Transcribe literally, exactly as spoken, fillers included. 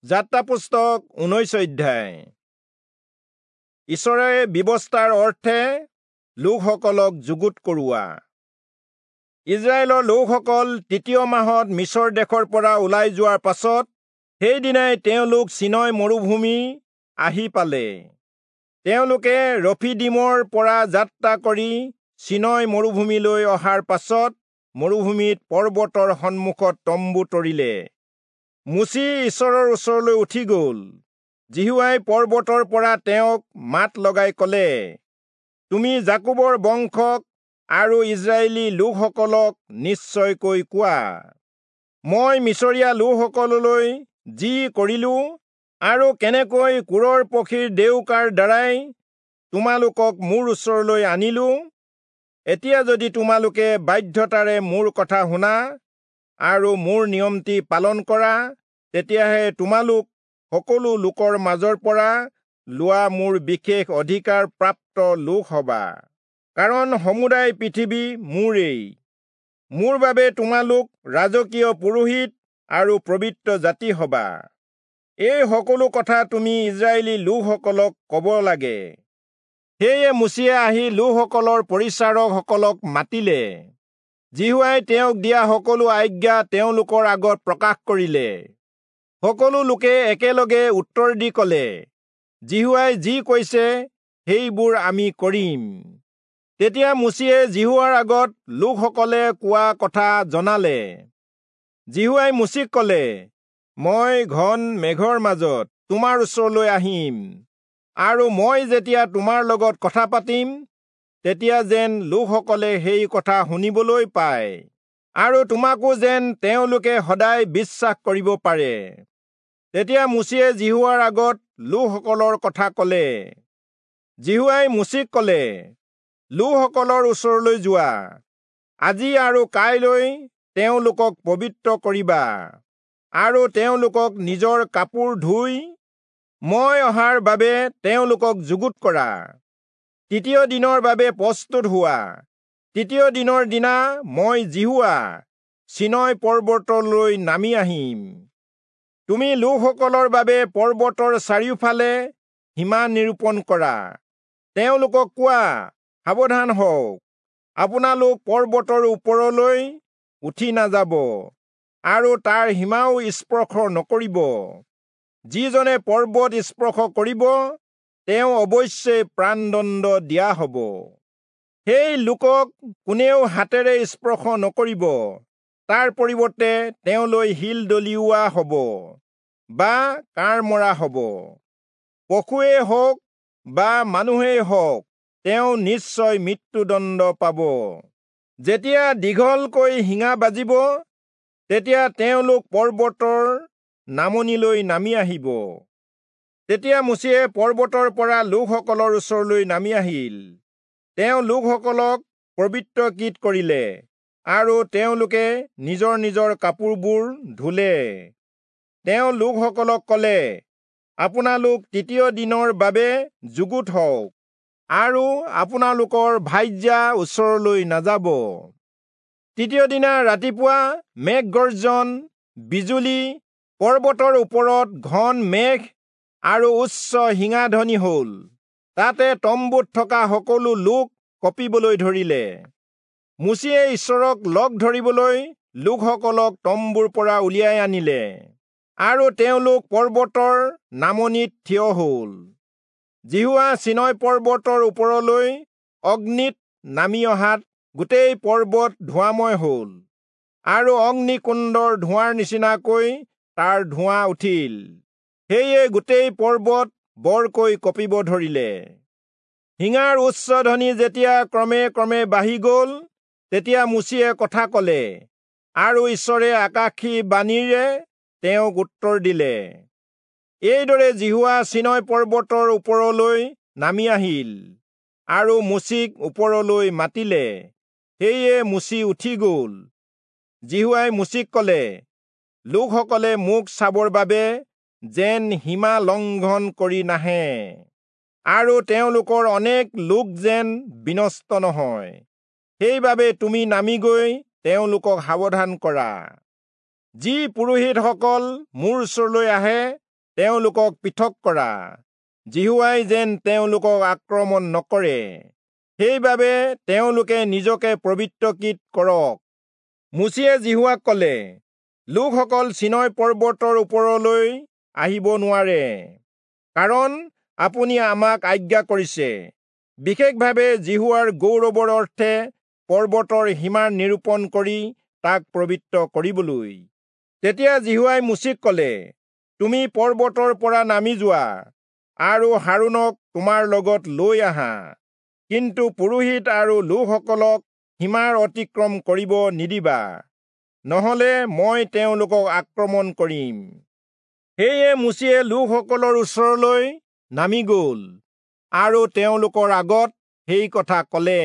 যাত্ৰা পুস্তক ঊনৈশ অধ্যায়। ঈশ্বৰে ব্যৱস্থাৰ অৰ্থে লোকসকলক যুগুত কৰোৱা। ইস্ৰায়েলৰ লোকসকল তৃতীয় মাহত মিচৰ দেশৰ পৰা ওলাই যোৱাৰ পাছত সেইদিনাই তেওঁলোক চীনয় মৰুভূমি আহি পালে। তেওঁলোকে ৰফিদীমৰ পৰা যাত্ৰা কৰি চীনয় মৰুভূমিলৈ অহাৰ পাছত মৰুভূমিত পৰ্বতৰ সন্মুখত তম্বু তৰিলে। মোচি ঈশ্বৰৰ ওচৰলৈ উঠি গল। যিহোৱাই পৰ্বতৰ পৰা তেওঁক মাত লগাই কলে, তুমি যাকোবৰ বংশক আৰু ইস্ৰায়েলী লোকসকলক নিশ্চয়কৈ কোৱা, মই মিচৰীয়া লোকসকললৈ যি কৰিলো আৰু কেনেকৈ কোৰৰ পক্ষীৰ ডেউকাৰ দ্বাৰাই তোমালোকক মোৰ ওচৰলৈ আনিলো, এতিয়া যদি তোমালোকে বাধ্যতাৰে মোৰ কথা শুনা আৰু মোৰ নিয়মটি পালন কৰা, তেতিয়াহে তোমালোক সকলো লোকৰ মাজৰ পৰা লোৱা মোৰ বিশেষ অধিকাৰ প্ৰাপ্ত লোক হবা, কাৰণ সমুদায় পৃথিৱী মোৰেই। মোৰ বাবে তোমালোক ৰাজকীয় পুৰোহিত আৰু পবিত্ৰ জাতি হবা। এই সকলো কথা তুমি ইস্ৰায়েলী লোকসকলক কব লাগে। সেয়ে মোচিয়ে আহি লোকসকলৰ পৰিচাৰকসকলক মাতিলে। যিহোৱাই তেওঁক দিয়া সকলো আজ্ঞা তেওঁলোকৰ আগত প্ৰকাশ কৰিলে। সকলো লোকে একেলগে উত্তৰ দি কলে, যিহোৱাই যি কৈছে সেইবোৰ আমি কৰিম। তেতিয়া মোচিয়ে যিহোৱাৰ আগত লোকসকলে কোৱা কথা জনালে। যিহোৱাই মোচিক কলে, মই ঘন মেঘৰ মাজত তোমাৰ ওচৰলৈ আহিম, আৰু মই যেতিয়া তোমাৰ লগত কথা পাতিম, তেতিয়া যেন লোকসকলে সেই কথা শুনিবলৈ পায়, আৰু তোমাকো যেন তেওঁলোকে সদায় বিশ্বাস কৰিব পাৰে। তেতিয়া মোচিয়ে যিহোৱাৰ আগত লোকসকলৰ কথা কলে। যিহোৱাই মোচিক কলে, লোকসকলৰ ওচৰলৈ যোৱা, আজি আৰু কাইলৈ তেওঁলোকক পবিত্ৰ কৰিবা, আৰু তেওঁলোকক নিজৰ কাপোৰ ধুই মই অহাৰ বাবে তেওঁলোকক যুগুত কৰা। তৃতীয় দিনৰ বাবে প্ৰস্তুত হোৱা। তৃতীয় দিনৰ দিনা মই যিহোৱা চীনয় পৰ্বতলৈ নামি আহিম। তুমি লোকসকলৰ বাবে পৰ্বতৰ চাৰিওফালে সীমা নিৰূপণ কৰা। তেওঁলোকক কোৱা, সাৱধান হওক, আপোনালোক পৰ্বতৰ ওপৰলৈ উঠি নাযাব আৰু তাৰ সীমাও স্পৰ্শ নকৰিব। যিজনে পৰ্বত স্পৰ্শ কৰিব, তেওঁ অৱশ্যে প্ৰাণদণ্ড দিয়া হব। সেই লোকক কোনেও হাতেৰে স্পৰ্শ নকৰিব, তাৰ পৰিৱৰ্তে তেওঁলৈ শিল দলিওৱা হব বা কাঁড় মৰা হব। পশুৱেই হওক বা মানুহেই হওক, তেওঁ নিশ্চয় মৃত্যুদণ্ড পাব। যেতিয়া দীঘলকৈ শিঙা বাজিব, তেতিয়া তেওঁলোক পৰ্বতৰ নামনিলৈ নামি আহিব। তেতিয়া মোচিয়ে পৰ্বতৰ পৰা লোকসকলৰ ওচৰলৈ নামি আহিল। তেওঁ লোকসকলক পবিত্ৰকৃত কৰিলে, আৰু তেওঁলোকে নিজৰ নিজৰ কাপোৰবোৰ ধুলে। তেওঁ লোকসকলক কলে, আপোনালোক তৃতীয় দিনৰ বাবে যুগুত হওক, আৰু আপোনালোকৰ ভাৰ্যা ওচৰলৈ নাযাব। তৃতীয় দিনা ৰাতিপুৱা মেঘ গৰ্জন, বিজুলী, পৰ্বতৰ ওপৰত ঘন মেঘ আৰু উচ্চ শিঙাধ্বনি হল। তাতে তম্বুত থকা সকলো লোক কঁপিবলৈ ধৰিলে। মোচিয়ে ঈশ্বৰক লগ ধৰিবলৈ লোকসকলক তম্বুৰ পৰা উলিয়াই আনিলে, আৰু তেওঁলোক পৰ্বতৰ নামনিত থিয় হল। যিহোৱা চীনয় পৰ্বতৰ ওপৰলৈ অগ্নিত নামি অহাত গোটেই পৰ্বত ধোঁৱাময় হল, আৰু অগ্নিকুণ্ডৰ ধোঁৱাৰ নিচিনাকৈ তাৰ ধোঁৱা উঠিল। সেয়ে গোটেই পৰ্বত বৰকৈ কঁপিব ধৰিলে। শিঙাৰ উচ্চ ধ্বনি যেতিয়া ক্ৰমে ক্ৰমে বাঢ়ি গল, তেতিয়া মোচিয়ে কথা কলে, আৰু ঈশ্বৰে আকাশী বাণীৰে তেওঁক উত্তৰ দিলে। এইদৰে যিহোৱা চীনয় পৰ্বতৰ ওপৰলৈ নামি আহিল, আৰু মোচিক ওপৰলৈ মাতিলে। সেয়ে মোচি উঠি গল। যিহোৱাই মোচিক কলে, লোকসকলে মোক চাবৰ বাবে যেন সীমা লংঘন কৰি নাহে, আৰু তেওঁলোকৰ অনেক লোক যেন বিনষ্ট নহয়, সেইবাবে তুমি নামি গৈ তেওঁলোকক সাৱধান কৰা। যি পুৰোহিতসকল মোৰ ওচৰলৈ আহে, তেওঁলোকক পৃথক কৰা, যিহোৱাই যেন তেওঁলোকক আক্ৰমণ নকৰে, সেইবাবে তেওঁলোকে নিজকে পবিত্ৰকৃত কৰক। মোচিয়ে যিহোৱাক কলে, লোকসকল চীনয় পৰ্বতৰ ওপৰলৈ আহিব নোৱাৰে, কাৰণ আপুনি আমাক আজ্ঞা কৰিছে, বিশেষভাৱে যিহোৱাৰ গৌৰৱৰ অৰ্থে পৰ্বতৰ সীমা নিৰূপণ কৰি তাক পবিত্ৰ কৰিবলৈ। তেতিয়া যিহোৱাই মোচিক কলে, তুমি পৰ্বতৰ পৰা নামি যোৱা আৰু হাৰোণক তোমাৰ লগত লৈ আহা, কিন্তু পুৰোহিত আৰু লোকসকলক সীমাৰ অতিক্ৰম কৰিব নিদিবা, নহলে মই তেওঁলোকক আক্ৰমণ কৰিম। সেয়ে মোচিয়ে লোকসকলৰ ওচৰলৈ নামি গল আৰু তেওঁলোকৰ আগত সেই কথা কলে।